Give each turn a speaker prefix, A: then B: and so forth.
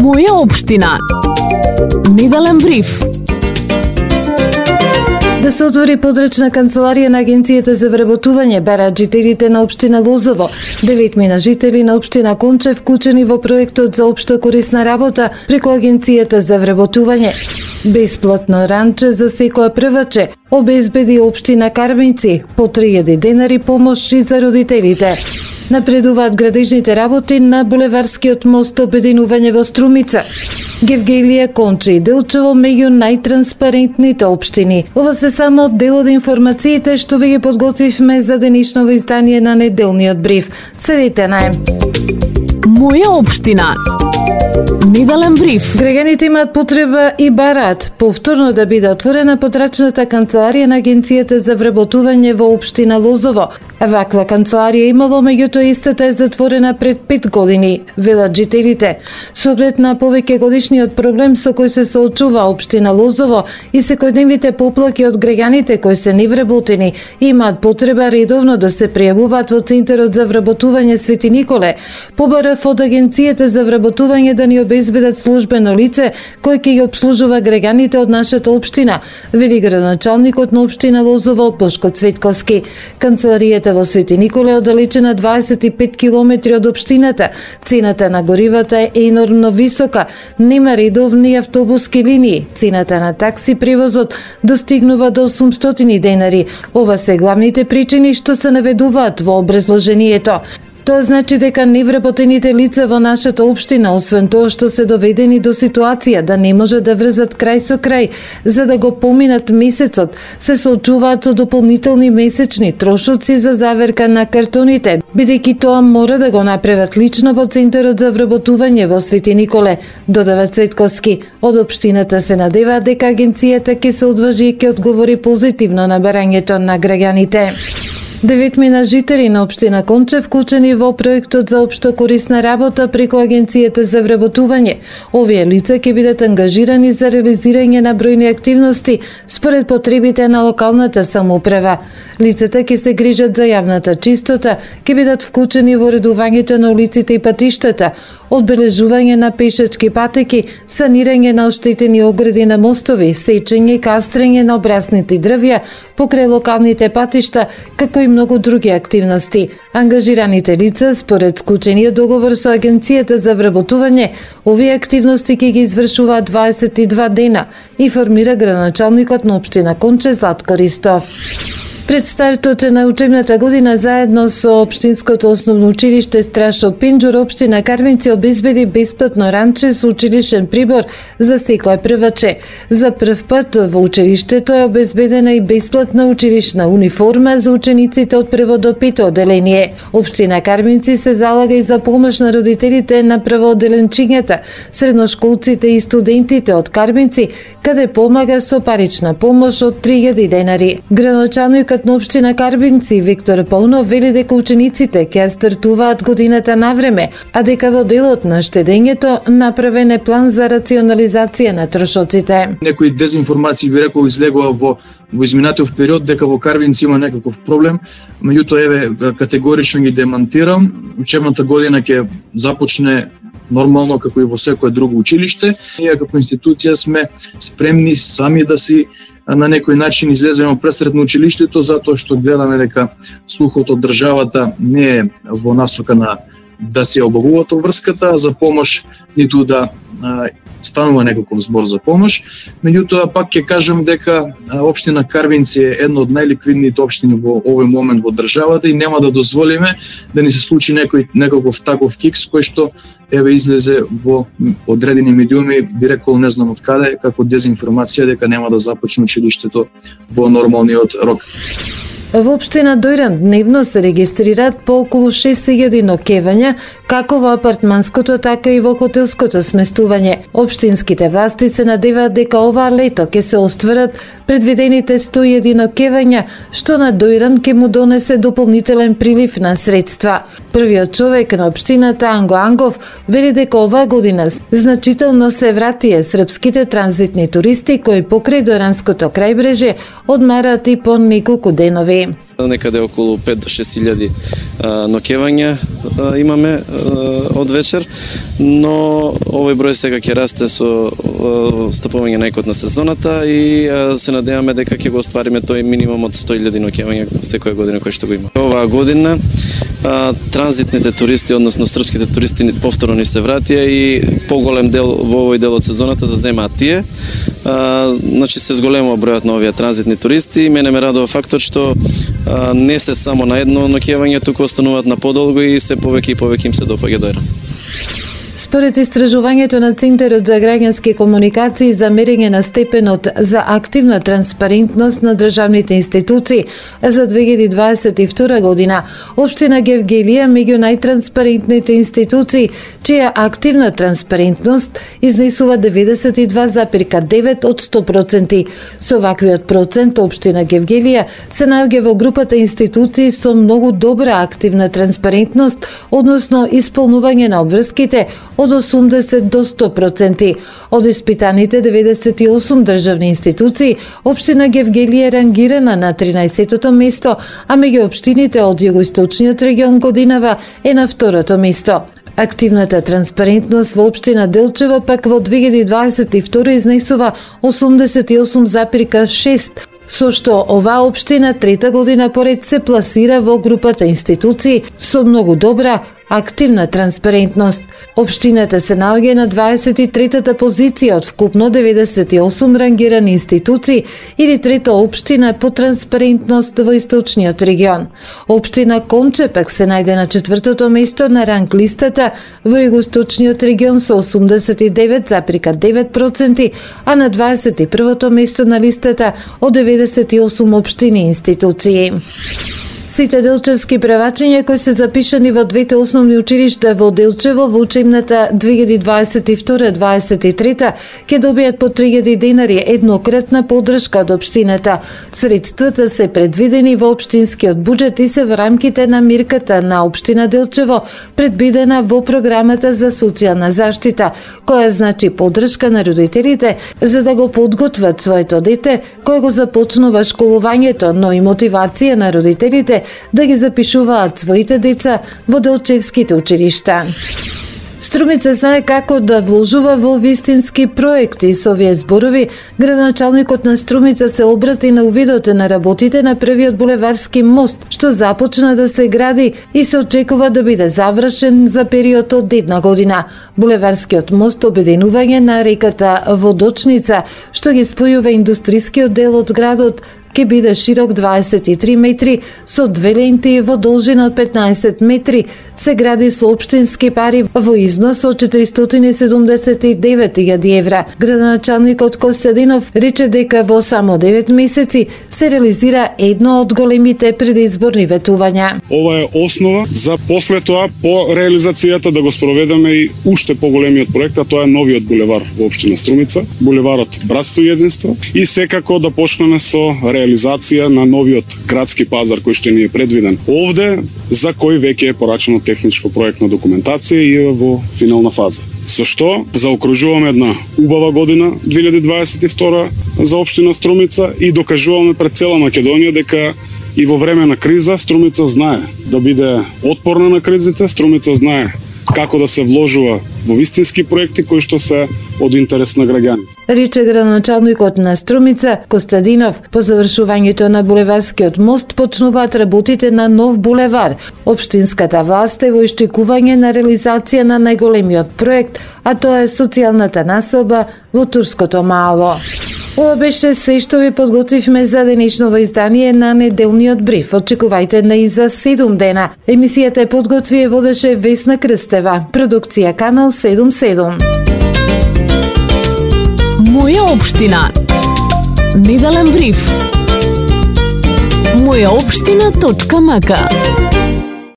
A: Моја општина. Неделен бриф. Да се отвори подрачна канцеларија на Агенцијата за вработување бараат жителите на општина Лозово. 9 жители на општина Конче вклучени во проектот за општо корисна работа преку Агенцијата за вработување. Бесплатно ранче за секоја прваче обезбеди општина Карбинци, по 3000 денари помош и за родителите. Напредуваат градежните работи на булеварскиот мост обединување во Струмица. Гевгелија, Конче и Делчево меѓу најтранспарентните општини. Ова се само дел од информациите што ви ги подготвивме за денешново издание на неделниот бриф. Следите на Моја општина. Неделен бриф. Граѓаните имаат потреба и бараат повторно да биде отворена подрачната канцеларија на Агенцијата за вработување во општина Лозово. Ваква канцеларија имало, меѓутоа истата е затворена пред 5 години, велат жителите. Со оглед на повеќе годишниот проблем со кој се соочува општина Лозово и секојдневните поплаки од граѓаните кои се невработени имаат потреба редовно да се пријавуваат во Центарот за вработување Свети Николе. Побарав од Агенцијата за вработување да ни обезбедат службено лице кој ќе ги обслужува граѓаните од нашата општина, вели градоначалникот на општина Лозово Бошко Цветковски. Канцеларијата во Свети Николе е оддалечена 25 километри од општината. Цената на горивата е енормно висока, нема редовни автобуски линии. Цената на такси превозот достигнува до 800 денари. Ова се главните причини што се наведуваат во образложението. Тоа значи дека невработените лица во нашата општина, освен тоа што се доведени до ситуација да не може да врзат крај со крај за да го поминат месецот, се соочуваат со дополнителни месечни трошоци за заверка на картоните, бидејќи тоа мора да го направат лично во Центарот за вработување во Свети Николе, додава Цветковски. Од општината се надеваат дека агенцијата ќе се одважи и ќе одговори позитивно на барањето на граѓаните. 9 жители на општина Конче вклучени во проектот за општо корисна работа преку Агенцијата за вработување. Овие лица ќе бидат ангажирани за реализирање на бројни активности според потребите на локалната самоуправа. Лицата ќе се грижат за јавната чистота, ќе бидат вклучени во редувањето на улиците и патиштата, одбележување на пешачки патеки, санирање на оштетени огради на мостови, сечење и кастрење на обрасните дрвја покрај локалните патишта, како и многу други активности. Ангажираните лица, според склучениот договор со Агенцијата за вработување, овие активности ќе ги извршуваат 22 дена, информира градоначалникот на општина Конче Златко Ристов. Пред стартот на учебната година заедно со општинското основно училиште Страшо Пинџур, општина Карбинци обезбеди бесплатно ранче со училишен прибор за секој прваче. За прв пат во училиштето е обезбедена и бесплатна училишна униформа за учениците од прво до пето оделение. Општина Карбинци се залага и за помош на родителите на првооделенчињата, средношколците и студентите од Карбинци, каде помага со парична помош од 3000 денари. Градоначалникот на општина Карбинци Виктор Паунов вели дека учениците ќе стартуваат годината на време, а дека во делот на штедењето направен е план за рационализација на трошоците.
B: Некои дезинформации би рекол излегува во изминатиот период дека во Карбинци има некаков проблем, меѓутоа еве категорично ги демантирам. Учебната година ќе започне нормално како и во секое друго училиште. Ние како институција сме спремни сами да си на некој начин излеземе пресред на училиштето, затоа што гледаме дека слухот од државата не е во насока на да се обавува врската за помош, ниту да станува некаков збор за помош. Меѓутоа пак ќе кажам дека општина Карбинци е една од најликвидните општини во овој момент во државата и нема да дозволиме да ни се случи некаков таков кикс кој што еве излезе во одредени медиуми, би рекол не знам од каде, како дезинформација дека нема да започне училиштето во нормалниот рок.
A: Во општина Дојран дневно се регистрираат по околу 6000 ноќевања, како во апартманското, така и во хотелското сместување. Општинските власти се надеваат дека оваа лето ќе се остварат предвидените 101 ноќевања, што на Дојран ќе му донесе дополнителен прилив на средства. Првиот човек на општината Анго Ангов вели дека оваа година значително се вратија српските транзитни туристи кои покрај Дојранското крајбрежје одмараат и по неколку денови.
C: Некаде околу 5 до 6.000 ноќевања имаме од вечер, но овој број сега ќе расте со стапување најкот на сезоната и се надеваме дека ќе го оствариме тој минимум од 100.000 ноќевања секоја година кој што го има. Оваа година транзитните туристи, односно српските туристи повторно ни се вратија и поголем дел во овој дел од сезоната да земаат тие. Значи се зголемува бројот на овие транзитни туристи. Мене ме радува фактот што не се само на едно ноќевање, туку остануваат на подолго и се повеќе и повеќе им се допаѓа дојра.
A: Според истражувањето на Центарот за граѓански комуникации за мерење на степенот за активна транспарентност на државните институции за 2022 година, општина Гевгелија меѓу најтранспарентните институции, чија активна транспарентност изнесува 92,9 од 100%. Со ваквиот процент, општина Гевгелија се наоѓа во групата институции со многу добра активна транспарентност, односно исполнување на обврските од 80 до 100%. Од испитаните 98 државни институции, општина Гевгелија е рангирана на 13-тото место, а меѓу општините од југоисточниот регион годинава е на 2-то место. Активната транспарентност во општина Делчево пак во 2022 изнесува 88,6%, со што оваа општина трета година поред се пласира во групата институции со многу добра активна транспарентност. Општината се наоѓа на 23-та позиција од вкупно 98 рангирани институции или трета општина по транспарентност во источниот регион. Општина Конче пак се најде на 4-то место на ранг листата во југоисточниот регион со 89,9%, а на 21-то место на листата од 98 општини и институции. Сите делчевски превачења кои се запишани во двете основни училишта во Делчево во учебната 2022-2023 ќе добијат по 3.000 денари еднократна поддршка од општината. Средствата се предвидени во општинскиот буџет и се во рамките на мирката на општина Делчево, предвидена во програмата за социјална заштита, која значи поддршка на родителите за да го подготват своето дете кој го започнува школувањето, но и мотивација на родителите да ги запишуваат своите деца во делчевските училишта. Струмица знае како да вложува во вистински проекти. Со овие зборови, градоначалникот на Струмица се обрати на увидот на работите на првиот булеварски мост, што започна да се гради и се очекува да биде завршен за период од една година. Булеварскиот мост обединување на реката Водочница, што ги спојува индустрискиот дел од градот, ќе биде широк 23 метри со две ленти во должина од 15 метри, се гради со општински пари во износ од 479.000 евра. Градоначалникот Костадинов рече дека во само 9 месеци се реализира едно од големите предизборни ветувања.
D: Ова е основа за после тоа по реализацијата да го спроведеме и уште поголемиот проект, а тоа е новиот булевар во општина Струмица, булеварот Братство и единство, и секако да почнеме со реализација на новиот градски пазар кој што ни е предвиден овде, за кој веќе е порачено техничко проектна документација и е во финална фаза. Со што заокружуваме една убава година 2022 за општина Струмица и докажуваме пред цела Македонија дека и во време на криза Струмица знае да биде отпорна на кризите, Струмица знае како да се вложува во вистински проекти кои што се од интерес на граѓаните.
A: Рече градоначалникот на Струмица Костадинов. По завршувањето на булеварскиот мост почнуваат работите на нов булевар. Општинската власт е во ишчекување на реализација на најголемиот проект, а тоа е социјалната населба во Турското мало. Ова беше се што ви подготвивме за денешното издание на неделниот бриф. Очекувајте на и за 7 дена. Емисијата е подготви и водеше Весна Крстева. Продукција Канал 77.
E: Моја општина. Неделен бриф. Мојаопштина.мк